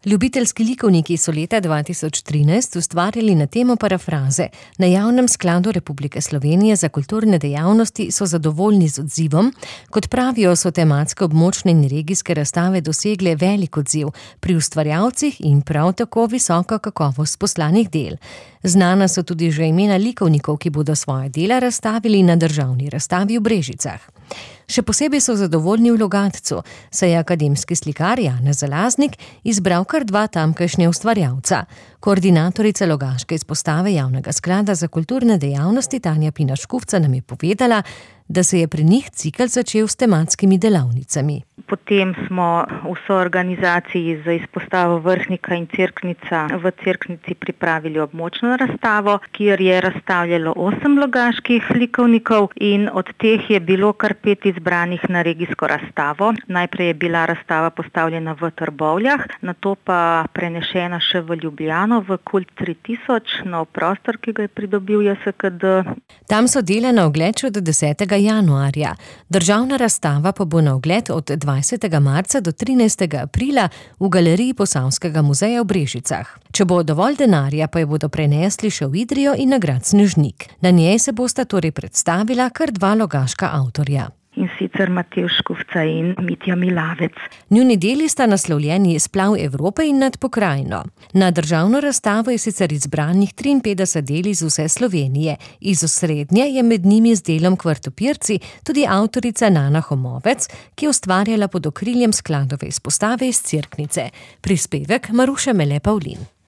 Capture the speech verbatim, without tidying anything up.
Ljubiteljski likovniki so leta dva tisoč trinajst ustvarjali na temo parafraze. Na Javnem skladu Republike Slovenije za kulturne dejavnosti so zadovoljni z odzivom. Kot pravijo, so tematske območne in regijske razstave dosegle velik odziv pri ustvarjalcih in prav tako visoko kakovost poslanih del. Znana so tudi že imena likovnikov, ki bodo svoje dela razstavili na državni razstavi v Brežicah. Še posebej so zadovoljni v Logatcu, saj je akademski slikar Janez Zalaznik izbral kar dva tamkajšnja ustvarjalca. Koordinatorica logaške izpostave Javnega sklada za kulturne dejavnosti Tanja Pina Škufca nam je povedala, da se je pri njih cikel začel s tematskimi delavnicami. Potem smo v soorganizaciji z izpostavo Vrhnika in Cerknica v Cerknici pripravili območno razstavo, kjer je razstavljalo osem logaških likovnikov in od teh je bilo kar pet izbranih na regijsko razstavo. Najprej je bila razstava postavljena v Trbovljah, nato pa prenešena še v Ljubljano, v Kult tri tisoč, nov prostor, ki ga je pridobil J S K D. Tam so dela na ogled še do desetega januarja. Državna razstava pa bo na ogled od dvajsetega marca do trinajstega aprila v galeriji Posavskega muzeja v Brežicah. Če bo dovolj denarja, pa jo bodo prenesli še v Idrijo in na grad Snežnik. Na njej se bosta torej predstavila kar dva logaška avtorja. In sicer Matevž Škufca in Mitja Milavec. Njuni deli sta naslovljeni Splav Evrope in Nad pokrajino. Na državno razstavo je sicer izbranih triinpetdeset del iz vse Slovenije. Iz osrednje je med njimi z delom Kvartopirci tudi avtorica Nana Homovec, ki je ustvarjala pod okriljem skladove izpostave iz Cerknice. Prispevek Maruše Mele Pavlin.